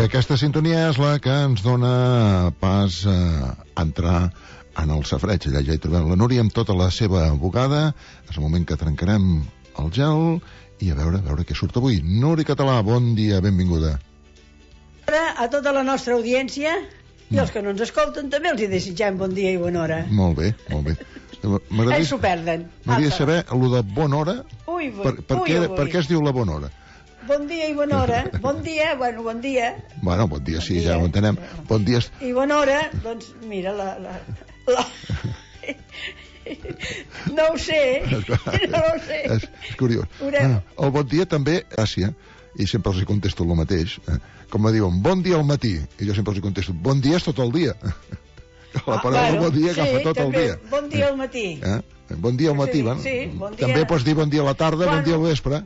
aquesta sintonia és la que ens dona pas a entrar en el safreig. Allà ja hi trobem la Núria amb tota la seva bugada. És el moment que trencarem el gel i a veure què surt avui. Núria Català, bon dia, benvinguda. A tota la nostra audiència i els que no ens escolten també els hi desitgem bon dia i bona hora. Molt bé, molt bé. Ells s'ho perden. M'agradaria saber allò de bona hora. Per què es diu la bona hora? Bon dia i bona hora. Bon dia, bon dia. Bueno, bon dia, sí, ja ho entenem. Bon dia. I bona hora, doncs mira, no ho sé. És curiós. El bon dia també, gràcia, i sempre els hi contesto el mateix. Com me diuen, bon dia al matí, i jo sempre els hi contesto, bon dia és tot el dia. La paraula bon dia agafa tot el dia. Bon dia al matí. Bon dia al matí, també pots dir bon dia a la tarda, bon dia al vespre.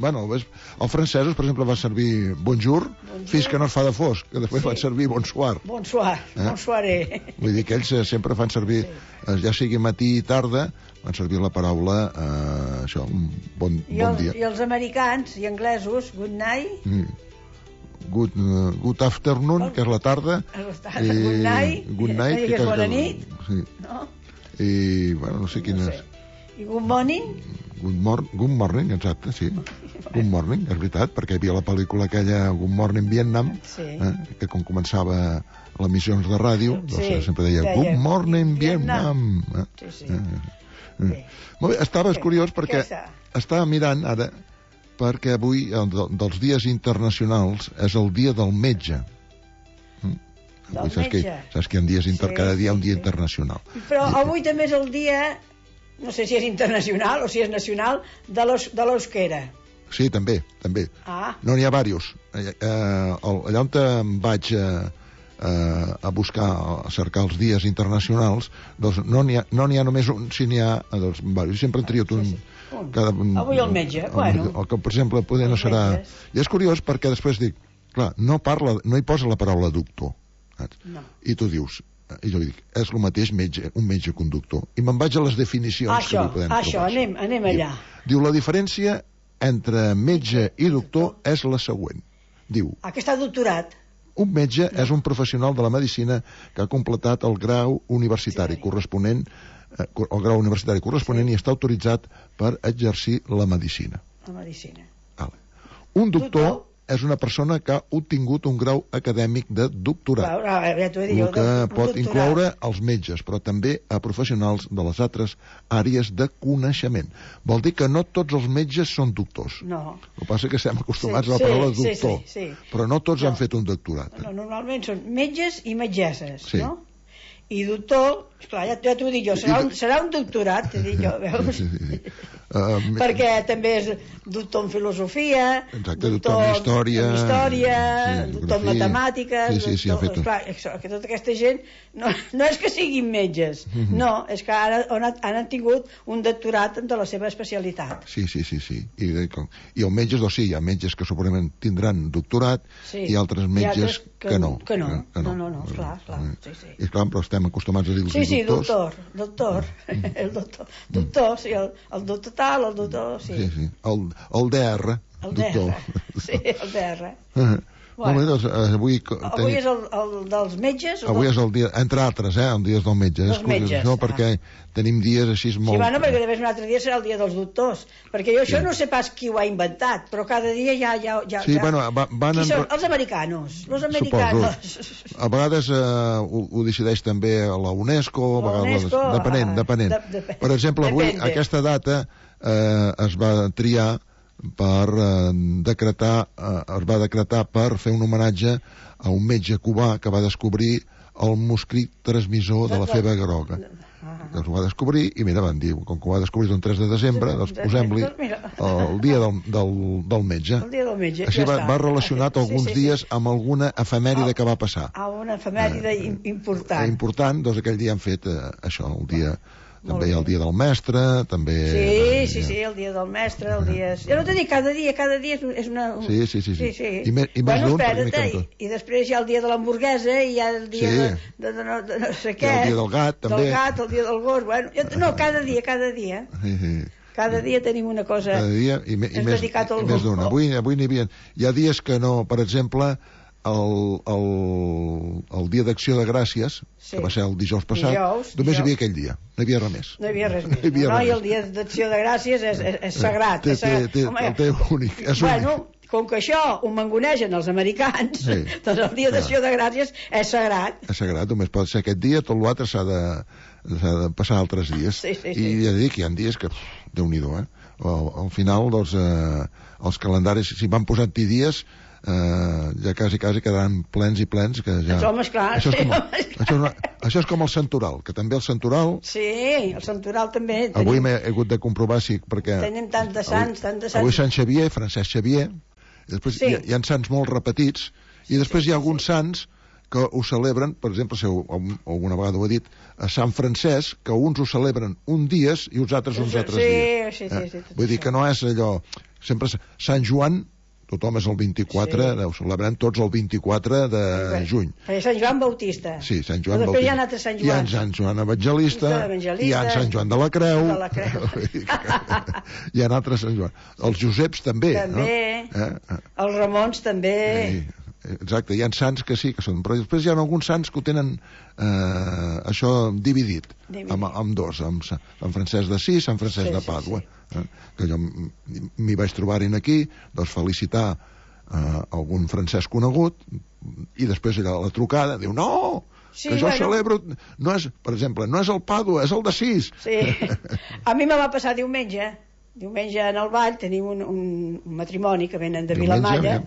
Bueno, els francesos, per exemple, van servir bonjour fins que no es fa de fosc, que després van servir bonsoir. Bonsoiré. Vull dir que ells sempre fan servir, ja sigui matí i tarda, van servir la paraula, això, bon dia. I els americans i anglesos, good night. Good afternoon, que és la tarda. Good night, que és bona nit. I, bueno, no sé quin és. I good morning? Good morning, exacte, sí. Good morning, és veritat, perquè hi havia la pel·lícula aquella Good Morning Vietnam, que com començava les emissions de ràdio, doncs sempre deia Good Morning Vietnam. Molt bé, estaves curiós perquè estava mirant ara, perquè avui, dels dies internacionals, és el dia del metge. Saps que hi ha dies cada dia un dia internacional. Però avui també és el dia, no sé si és internacional o si és nacional, de l'euskera. Sí, també. No, n'hi ha diversos. Allà on em vaig a buscar, a cercar els dies internacionals, doncs no n'hi ha només un, si n'hi ha diversos. Sempre en triat un. Avui el metge, bueno. El que, per exemple, poder no serà. I és curiós perquè després dic, clar, no hi posa la paraula doctor. I tu dius, i jo dic, és el mateix un metge conductor. I me'n vaig a les definicions que li podem trobar. Anem allà. Diu, la diferència entre metge i doctor és la següent. Diu... que està doctorat. Un metge és un professional de la medicina que ha completat el grau universitari corresponent, i està autoritzat per exercir la medicina. Un doctor és una persona que ha obtingut un grau acadèmic de doctorat, el que pot incloure els metges, però també a professionals de les altres àrees de coneixement. Vol dir que no tots els metges són doctors. No. El que passa és que estem acostumats a la paraula doctor, però no tots han fet un doctorat. Normalment són metges i metgesses, no? I doctor, esclar, ja t'ho dic jo, serà un doctorat, t'he dit jo, veus? Perquè també és doctor en filosofia, doctor en història, doctor en matemàtiques, esclar, que tota aquesta gent no és que siguin metges, no, és que ara han tingut un doctorat de la seva especialitat. Sí. I els metges, doncs sí, hi ha metges que segurament tindran doctorat i altres metges que no. No, esclar. I esclar, però estem acostumats a dir-los doctors. Doctor, el doctor tal, el doctor, sí. El DR, doctor. Sí, el DR. Doncs avui és el dels metges? Avui és el dia, entre altres, el dia del metge. Dels metges. No, perquè tenim dies així molt... Sí, bueno, perquè un altre dia serà el dia dels doctors. Perquè jo això no sé pas qui ho ha inventat, però cada dia ja... Sí, bueno, qui són? Els americanos. Suposo. A vegades ho decideix també la UNESCO, a vegades depenent. Per exemple, avui, aquesta data es va triar es va decretar per fer un homenatge a un metge cubà que va descobrir el mosquit transmissor de la febre groga. Que ho va descobrir i mira, van dir, com que ho va descobrir el 3 de desembre, doncs posem-li el dia del metge. El dia del metge, així va relacionat alguns dies amb alguna efemèride que va passar. Una efemèride important. Important, doncs aquell dia han fet això, el dia... També hi ha el dia del mestre, també... Sí, el dia del mestre, el dia... Jo no t'he dit, cada dia és una... Sí. I més d'un, perquè m'hi canto. I després hi ha el dia de l'hamburguesa, i hi ha el dia de no sé què... El dia del gat, també. Del gat, el dia del gos, bueno... No, cada dia. Cada dia tenim una cosa... Cada dia, i més d'una. Avui n'hi havia... Hi ha dies que no, per exemple... el dia d'Acció de Gràcies, que va ser el dijous passat, només hi havia aquell dia, no hi havia res més. No hi havia res més. I el dia d'Acció de Gràcies és sagrat. El té únic, és únic. Bueno, com que això ho mangonegen els americans, doncs el dia d'Acció de Gràcies és sagrat. És sagrat, només pot ser aquest dia, tot l'altre s'ha de passar altres dies. I ja dic, hi ha dies que, Déu-n'hi-do, al final, doncs, els calendaris, si van posant-hi dies, ja quasi quedaran plens i plens, que ja... Home, esclar, això és com el santoral, que també el santoral... Sí, el santoral també... Avui m'he hagut de comprovar, sí, perquè... Tenim tant de sants. Avui Sant Xavier, Francesc Xavier, i després hi ha sants molt repetits, i després hi ha alguns sants que ho celebren, per exemple, si alguna vegada ho he dit, a Sant Francesc, que uns ho celebren un dies i uns altres dies. Sí. Vull dir que no és allò... Sempre Sant Joan, tothom és el 24, ho celebrem tots el 24 de juny. Sant Joan Bautista. Sí, Sant Joan Bautista. Després hi ha altres Sant Joan. Hi ha Sant Joan Evangelista, hi ha Sant Joan de la Creu. Hi ha altres Sant Joan. Els Joseps també. Els Ramons també. Exacte, hi ha sants que sí que són, però després hi ha alguns sants que ho tenen això dividit amb dos, amb Sant Francesc d'Assís, Sant Francesc de Pàdua, que jo m'hi vaig trobar-hi aquí, doncs felicitar algun francès conegut, i després allà la trucada diu no, que jo celebro, no és, per exemple, no és el Pàdua, és el d'Assís. Sí, a mi me va passar diumenge en el ball tenim un matrimoni que venen de Vilamalla,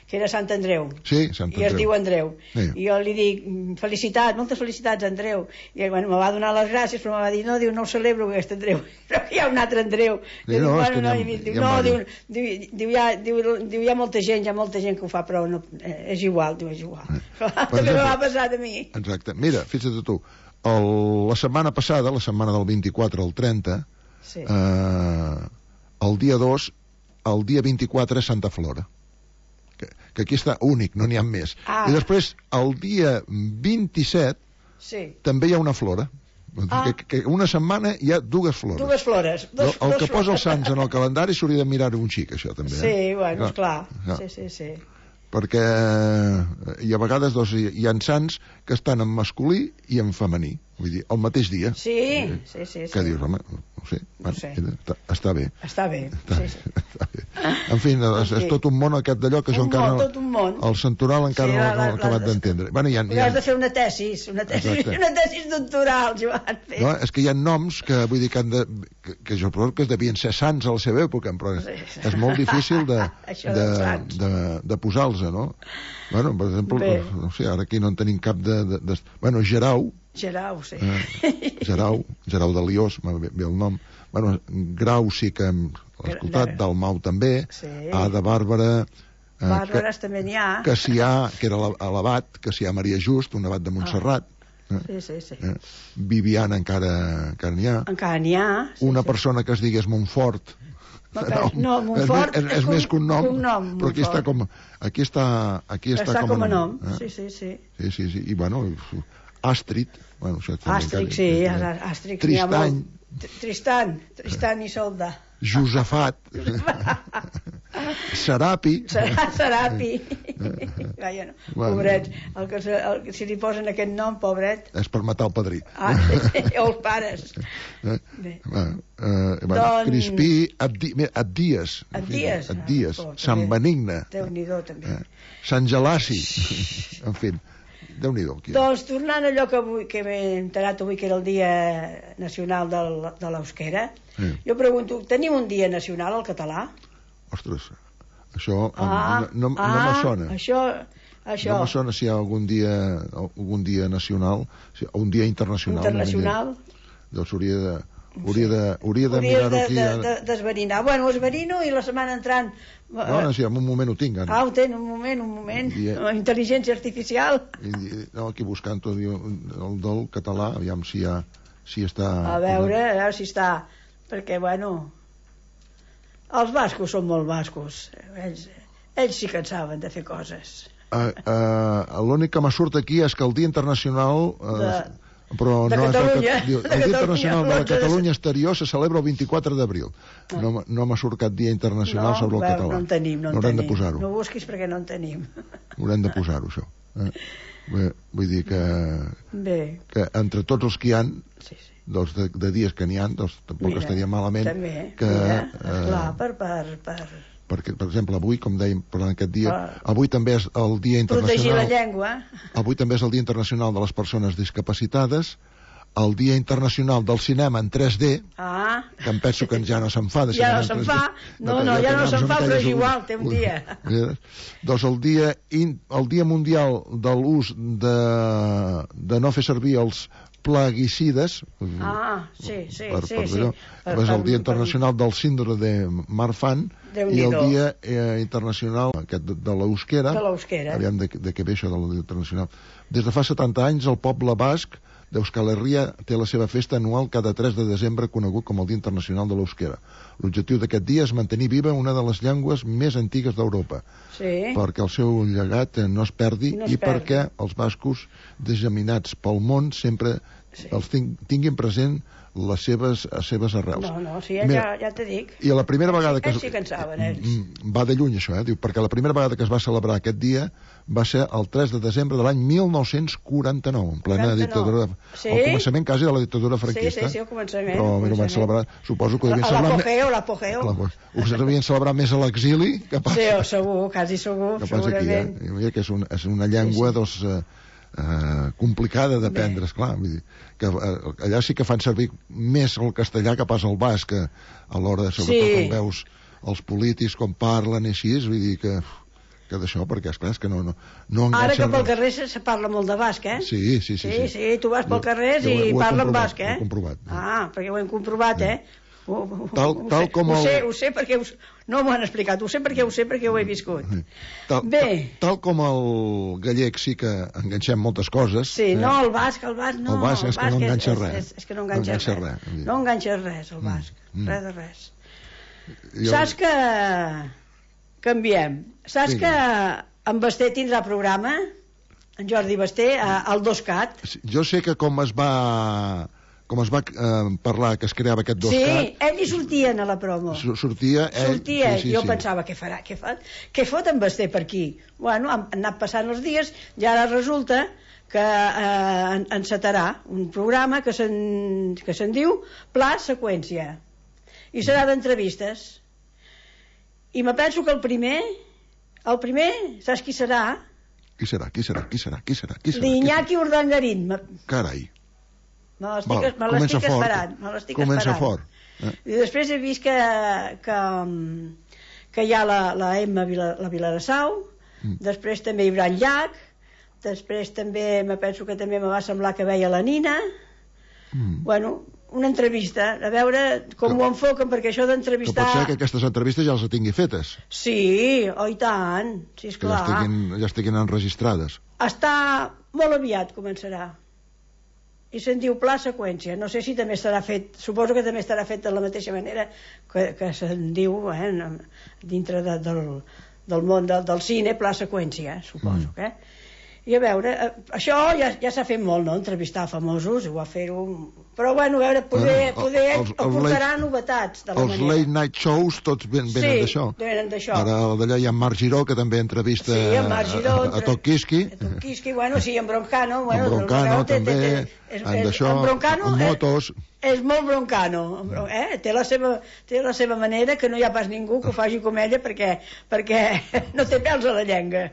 que era Sant Andreu. Sí, Sant Andreu. I es diu Andreu. I jo li dic, moltes felicitats, Andreu. I ell, me va donar les gràcies, però me va dir, no, no ho celebro, aquest Andreu. Però hi ha un altre Andreu. Diu, hi ha molta gent que ho fa, però és igual, és igual. També me va passar a mi. Exacte. Mira, fixa't tu, la setmana passada, la setmana del 24 al 30, el dia 2, el dia 24 és Santa Flora. Que aquí està únic, no n'hi ha més. I després, el dia 27, també hi ha una flora. Que una setmana hi ha dues flores. Dues flores. El que posa els sants en el calendari s'hauria de mirar un xic, això, també. Sí, bueno, esclar. Sí. Perquè a vegades hi ha sants que estan en masculí i en femení. Vull dir, el mateix dia. Sí. Que dius, home, no sé. Està bé. Està bé. En fi, és tot un món aquest d'allò que jo encara no... Tot un món. El santoral encara no l'he acabat d'entendre. Has de fer una tesis doctoral, Joan. No, és que hi ha noms que vull dir que jo crec que devien ser sants a la seva època, però és molt difícil de posar-los, no? Bueno, per exemple, no sé, ara aquí no en tenim cap de... Bueno, Gerau, sí. Gerau de Liós, ve el nom. Bueno, Grau sí que hem escoltat, Dalmau també, Ada Bàrbara... Bàrbares també n'hi ha. Cassià, que era l'abat, Cassià Maria Just, un abat de Montserrat. Sí. Viviana encara n'hi ha. Encara n'hi ha. Una persona que es digués Montfort. No, Montfort és més que un nom, però aquí està com a nom. Sí. I bueno, Àstrid, Tristan i Solda, Josafat, Serapi, pobret, si li posen aquest nom, pobret, és per matar el padrí, o els pares. Crispí, Abdies, Sant Benigne, Sant Gelasi, en fi, Déu-n'hi-do. Doncs tornant a allò que m'he enterat avui, que era el Dia Nacional de l'Euskera, jo pregunto, teniu un dia nacional al català? Ostres, això no me sona. Això. No me sona si hi ha algun dia nacional, un dia internacional. Doncs hauria de mirar-ho aquí. D'esverinar. Bueno, esverino i la setmana entrant... No, sí, en un moment ho tinc. Ho tenen, un moment. Intel·ligència artificial. No, aquí buscant el del català, aviam si està... A veure si està... Perquè, bueno... Els bascos són molt bascos. Ells sí que en saben de fer coses. L'únic que m'ha surt aquí és que el Dia Internacional Però de no Catalunya. El Dia Internacional de la Catalunya Exterior se celebra el 24 d'abril. No m'ha surt cap dia internacional sobre el català. No en tenim, Haurem de posar-ho. No busquis perquè no en tenim. Haurem de posar-ho, això. Vull dir que entre tots els que hi ha, de dies que n'hi ha, tampoc estaria malament que... Perquè, per exemple, avui, com dèiem, parlant aquest dia, avui també és el Dia Internacional... Protegir la llengua. Avui també és el Dia Internacional de les Persones Discapacitades, el Dia Internacional del Cinema en 3D, que em penso que ja no se'n fa. Ja no se'n fa, ja no se'n fa, però és igual, té un dia. Doncs el Dia Mundial de l'ús de no fer servir els plaguicides, sí. És el Dia Internacional del Síndrome de Marfan i el Dia Internacional de l'Euskera. Aviam de què ve això del Dia Internacional. Des de fa 70 anys el poble basc d'Euskal Herria té la seva festa anual cada 3 de desembre, conegut com el Dia Internacional de l'Euskera. L'objectiu d'aquest dia és mantenir viva una de les llengües més antigues d'Europa, perquè el seu llegat no es perdi i perquè els bascos disseminats pel món sempre els tinguin present les seves arrels. Ja t'he dit. I la primera vegada que... Ells sí que en saben, ells. Va de lluny, això, diu, perquè la primera vegada que es va celebrar aquest dia va ser el 3 de desembre de l'any 1949, en plena dictadura... Al començament quasi de la dictadura franquista. Sí, al començament. Però ho van celebrar, suposo que ho devien celebrar... L'apogeu. Ho devien celebrar més a l'exili que pas... Sí, segur, quasi segur, segurament. Mira que és una llengua, doncs... complicada d'aprendre, esclar, vull dir que allà sí que fan servir més el castellà que pas el basc a l'hora, sobretot quan veus els polítics com parlen i així, vull dir que d'això, perquè esclar, és que no enganxa. Ara que pel carrer se parla molt de basc, Sí, tu vas pel carrer i parlen basc, Ho he comprovat. Perquè ho hem comprovat, Tal com ho sé perquè no m'ho han explicat, ho sé perquè ho he viscut. Tal com el gallec sí que enganxem moltes coses. Sí, no, el basc no. El basc és que no enganxa res. És que no enganxa res. No enganxa res, el basc. Res de res. Saps que canviem? Saps que en Basté tindrà programa? En Jordi Basté, al 2CAT? Jo sé que com es va parlar que es creava aquest 2CAT... Sí, ell hi sortien a la promo. Sortia, jo pensava, què fot en Basté per aquí? Bueno, han anat passant els dies i ara resulta que encetarà un programa que se'n diu Pla Seqüència i serà d'entrevistes i me penso que el primer saps qui serà? Qui serà? L'Iñaki Urdangarín. Carai. Me l'estic esperant. Comença fort. I després he vist que hi ha la Emma la Vilarassau, després també hi haurà en Llach, després també me penso que també me va semblar que veia la Nina. Bueno, una entrevista, a veure com ho enfoquen, perquè això d'entrevistar... Que pot ser que aquestes entrevistes ja les tingui fetes. Sí, i tant, sí, esclar. Que ja estiguin enregistrades. Està molt aviat, començarà. I se'n diu Pla Seqüència. No sé si també estarà fet, suposo que també estarà fet de la mateixa manera que se'n diu dintre del món del cine, Pla Seqüència, suposo que. I a veure, això ja s'ha fet molt, no?, entrevistar famosos, ho va fer-ho... Però, bueno, a veure, poder aportarà novetats de la manera. Els late night shows tots venen d'això. Sí, venen d'això. Ara d'allà hi ha Marc Giró, que també entrevista a Tokisky. A Tokisky, bueno, sí, en Broncano. En Broncano també, en Broncano motos... És molt broncano, té la seva manera, que no hi ha pas ningú que ho faci com ella perquè no té pèls a la llengua.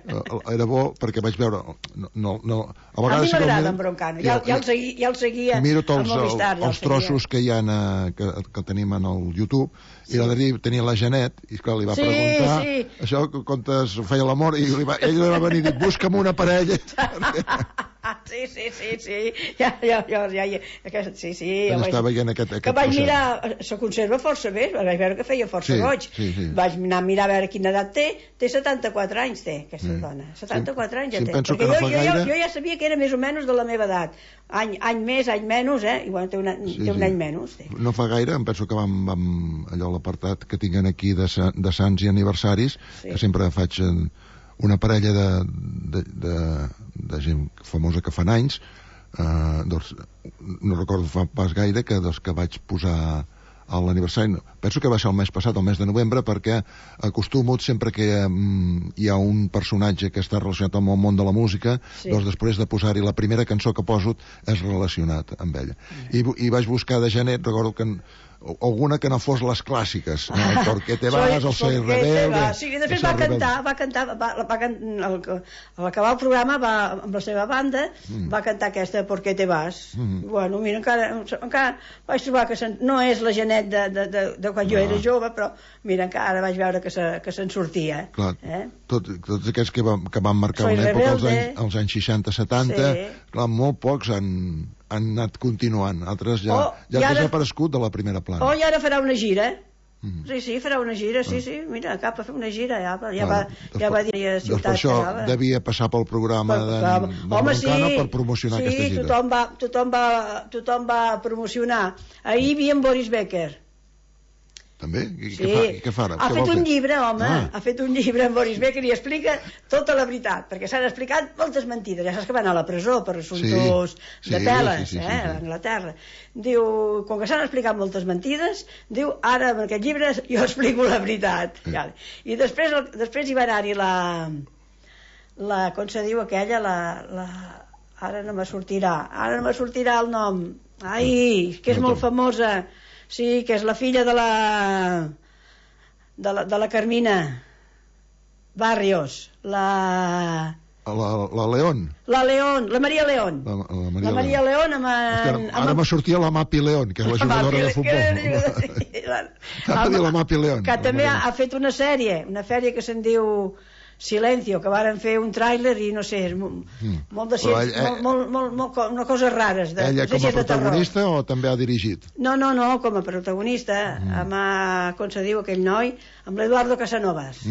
Era bo perquè vaig veure... A mi m'agrada en Broncano, ja el seguia al Movistar. Miro tots els trossos que hi ha que tenim en el YouTube, i l'Adri tenia la Janet, i esclar, li va preguntar això, quan es feia l'amor, i ell li va venir i dir, busca'm una parella. Sí. Ja veient aquest que vaig mirar, se conserva força bé, vaig veure que feia força goig. Vaig anar a mirar a veure quina edat té 74 anys té aquesta dona, 74 anys ja té, perquè jo ja sabia que era més o menys de la meva edat, any més, any menys, i bueno, té un any menys. No fa gaire, em penso que vam allò l'apartat que tinguin aquí de sants i aniversaris, que sempre faig una parella de gent famosa que fan anys, doncs, no recordo fa pas gaire que vaig posar a l'aniversari, penso que va ser el mes passat, el mes de novembre, perquè acostumo sempre que hi ha un personatge que està relacionat amb el món de la música, doncs després de posar-hi la primera cançó que poso és relacionat amb ella. I vaig buscar de genet, recordo que alguna que no fos les clàssiques, no? El Porque te vas, el Soy Rebelde... Sí, després va cantar, a l'acabar el programa, amb la seva banda, va cantar aquesta Porque te vas. Bueno, mira, encara vaig trobar que no és la Genet de quan jo era jove, però mira, encara vaig veure que se'n sortia. Clar, tots aquests que van marcar una època als anys 60-70, clar, molt pocs han anat continuant, altres ja han desaparegut de la primera plana. I ara farà una gira. Sí, farà una gira, sí, mira, cap a fer una gira, ja va dir a Ciutat. Doncs per això devia passar pel programa de Broncano per promocionar aquesta gira. Tothom va promocionar. Ahir hi havia en Boris Becker. També? Què fa ara? Ha fet un llibre, home, ha fet un llibre en Boris Becker i explica tota la veritat, perquè s'han explicat moltes mentides. Ja saps que va anar a la presó per assumptes de peles, a Anglaterra. Diu, com que s'han explicat moltes mentides, diu, ara amb aquest llibre jo explico la veritat. I després hi va anar-hi la com se diu aquella, ara no me sortirà el nom. Ai, que és molt famosa. Sí, que és la filla de la Carmina Barrios, la León. La Maria León. La Maria León ara me sortia la Mapi León, que és la jugadora de futbol. T'ha de dir la Mapi León. Que també ha fet una sèrie que se'n diu Silencio, que varen fer un tràiler i no sé, molt de no coses rares. Ella com a protagonista o també ha dirigit? No, com a protagonista, amb, com se diu aquell noi, amb l'Eduardo Casanovas.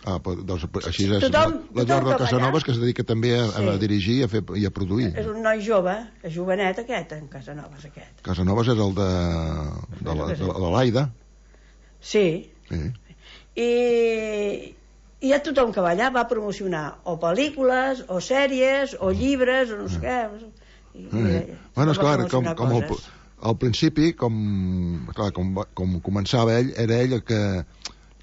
Doncs així és l'Eduardo Casanovas, que es dedica també a dirigir i a produir. És un noi jove, és jovenet aquest, en Casanovas aquest. Casanovas és el de l'Aida. Sí. I hi ha tothom que va allà, va promocionar o pel·lícules, o sèries, o llibres, o no sé què. Bueno, esclar, com al principi, com començava ell, era ell que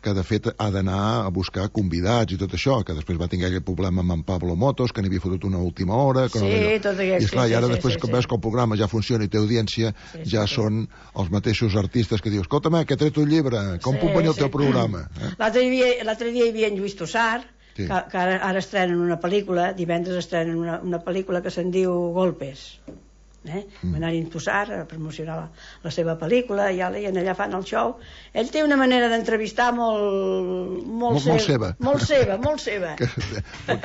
de fet ha d'anar a buscar convidats i tot això, que després va tenir aquell problema amb en Pablo Motos, que n'hi havia fotut una última hora, tot aquest. I esclar, i ara després que veus que el programa ja funciona i té audiència, ja són els mateixos artistes que dius, escolta'm, que he tret un llibre, com puc venir al teu programa? L'altre dia hi havia en Lluís Tossar, que ara estrenen una pel·lícula, divendres estrenen una pel·lícula que se'n diu Golpes. Va anar-hi a Tossar a promocionar la seva pel·lícula i allà fan el show. Ell té una manera d'entrevistar molt seva que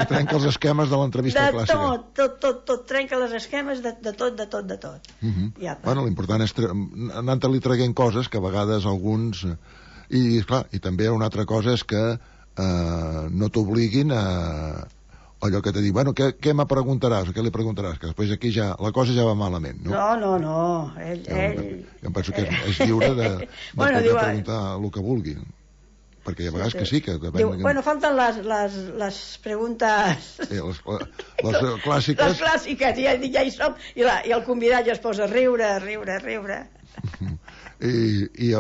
trenca els esquemes de l'entrevista clàssica. Tot trenca els esquemes de tot. Bueno, l'important és anar-li traient coses que a vegades alguns i també una altra cosa és que no t'obliguin a allò que te diu, bueno, què me preguntaràs o què li preguntaràs, que després aquí ja la cosa ja va malament, no? No, ell... Jo em penso que és lliure de poder preguntar el que vulgui, perquè a vegades que sí que... Bueno, falten les preguntes... Les clàssiques. Les clàssiques, ja hi som, i el convidat ja es posa a riure. I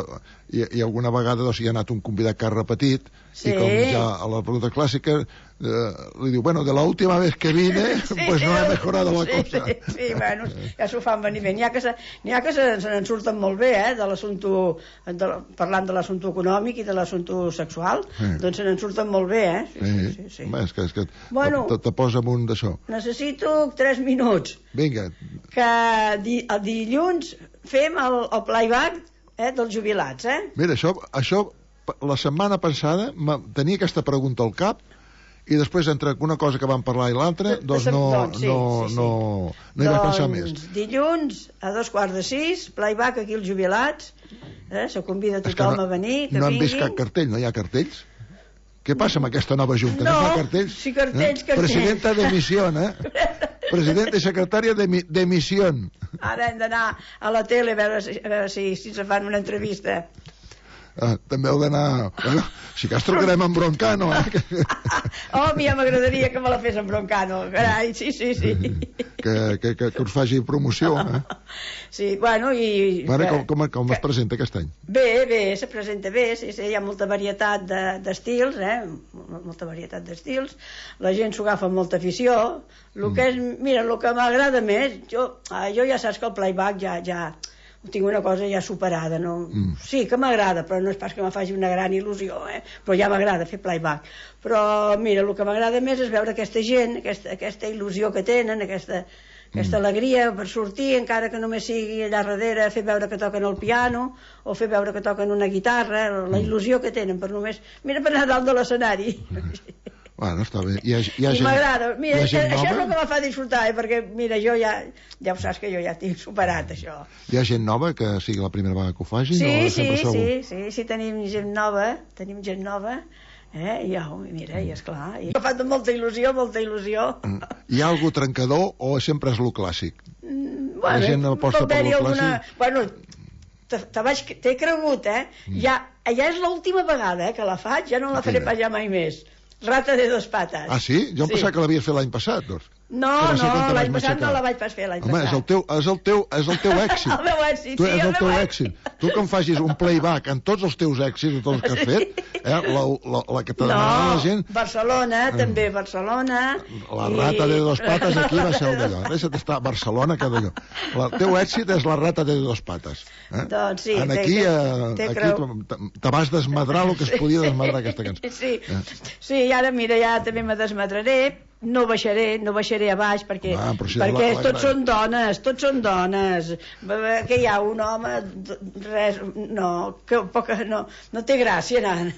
alguna vegada hi ha anat un convidat que ha repetit i com ja a la pregunta clàssica li diu, bueno, de la última vez que vine pues no he mejorado la cosa. Sí, bueno, ja s'ho fan venir bé. N'hi ha que se n'en surten molt bé, de l'assumpte, parlant de l'assumpte econòmic i de l'assumpte sexual, doncs se n'en surten molt bé, Sí. És que te posa amunt d'això. Necessito 3 minuts. Vinga. Que el dilluns fem el playback dels jubilats, Mira, això la setmana passada tenia aquesta pregunta al cap i després entre una cosa que vam parlar i l'altra doncs no hi vaig pensar més. Dilluns a 5:15 playback aquí els jubilats, se convida tothom a venir, que no han vist cap cartell, no hi ha cartells? Què passa amb aquesta nova junta? No fa cartells? Sí, cartells. Presidenta de misión, Presidenta i secretària de misión. Ara hem d'anar a la tele a veure si se fan una entrevista. també heu d'anar... Bueno, si cas trucarem en Broncano, Oh, ja m'agradaria que me la fes en Broncano, carai, sí. Que us faci promoció, Sí, bueno, i... Bueno, com es presenta aquest any? Bé, se presenta bé, sí, hi ha molta varietat d'estils, molta varietat d'estils, la gent s'ho agafa amb molta afició, el que m'agrada més, jo ja saps que el playback ja tinc una cosa ja superada, no? Sí, que m'agrada, però no és pas que me faci una gran il·lusió, però ja m'agrada fer playback. Però mira, el que m'agrada més és veure aquesta gent, aquesta il·lusió que tenen, aquesta alegria per sortir, encara que només sigui allà darrere, fer veure que toquen el piano o fer veure que toquen una guitarra, la il·lusió que tenen per només, mira, per anar dalt de l'escenari. Bueno, està bé. I m'agrada. Mira, això és el que me fa disfrutar, perquè, mira, jo ja ho saps que jo ja tinc superat, això. Hi ha gent nova que sigui la primera vegada que ho faci? Sí, tenim gent nova, mira, i esclar, i m'ha fet molta il·lusió. Hi ha algú trencador o sempre és lo clàssic? La gent aposta per lo clàssic? Bueno, t'he cregut, ja és l'última vegada que la faig, ja no la faré pas ja mai més. Rata de dos patas. Ah, sí? Jo em pensava que l'havies fet l'any passat, doncs. No, l'any passat no la vaig pas fer, l'any passat. Home, és el teu èxit. El meu èxit, sí, és el teu èxit. Tu que em facis un playback en tots els teus èxits, tots els que has fet, la que t'ha demanat la gent... Barcelona, també Barcelona... La rata de dos patas aquí va ser el d'allò. Deixa't estar a Barcelona, que d'allò. El teu èxit és la rata de dos patas. Doncs sí, aquí te vas desmadrar el que es podia desmadrar aquesta cançó. Sí, i ara, mira, ja també me desmadraré. No baixaré a baix perquè tots són dones, que hi ha un home, res, no té gràcia anar.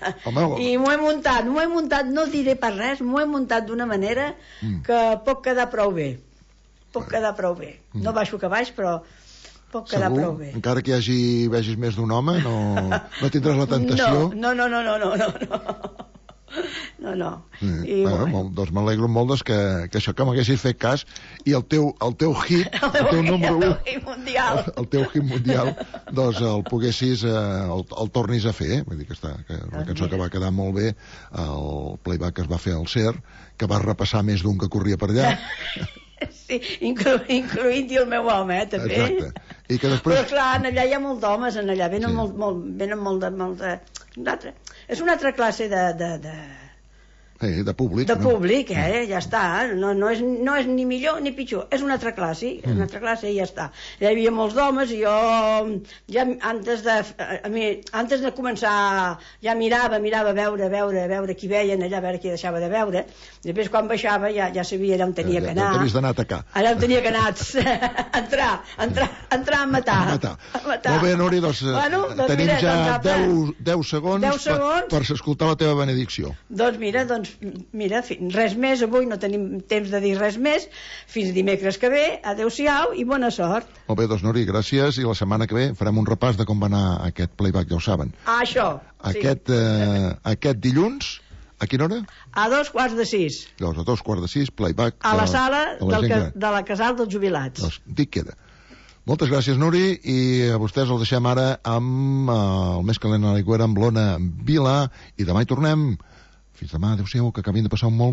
I m'ho he muntat, no diré per res, m'ho he muntat d'una manera que pot quedar prou bé. No baixo que baix, però pot quedar prou bé. Encara que vegis més d'un home, no tindràs la tentació? No. Doncs m'alegro molt que això, que m'haguessis fet cas i el teu hit, el teu número 1, el teu hit mundial, doncs el poguessis, el tornis a fer. Vull dir que la cançó que va quedar molt bé, el playback que es va fer al CER, que va repassar més d'un que corria per allà. Sí, incloent-hi el meu home, també. Exacte. I que després... Però clar, allà hi ha molt d'homes, allà venen molt de... És una altra classe de públic. De públic, ja està. No és ni millor ni pitjor. És una altra classe, i ja està. Hi havia molts d'homes i jo ja antes de començar ja mirava a veure qui veien allà, a veure qui deixava de veure. Després quan baixava ja sabia allà on tenia que anar. Ja t'havies d'anar a atacar. Allà on tenia que anar entrar a matar. Molt bé, Núria, doncs tenim ja 10 segons per escoltar la teva benedicció. Doncs mira, res més, avui no tenim temps de dir res més, fins dimecres que ve, adeu-siau i bona sort. Molt bé, doncs Núria, gràcies, i la setmana que ve farem un repàs de com va anar aquest playback, ja ho saben. Això, Aquest dilluns, a quina hora? A 5:45. Doncs a 5:45, playback a la sala de la Casal dels Jubilats. Doncs dic queda. Moltes gràcies, Nuri, i a vostès els deixem ara amb el més calent a l'aigüera amb l'Ona Vila, i demà hi tornem. Fins demà, adeu-siau, que acabin de passar un molt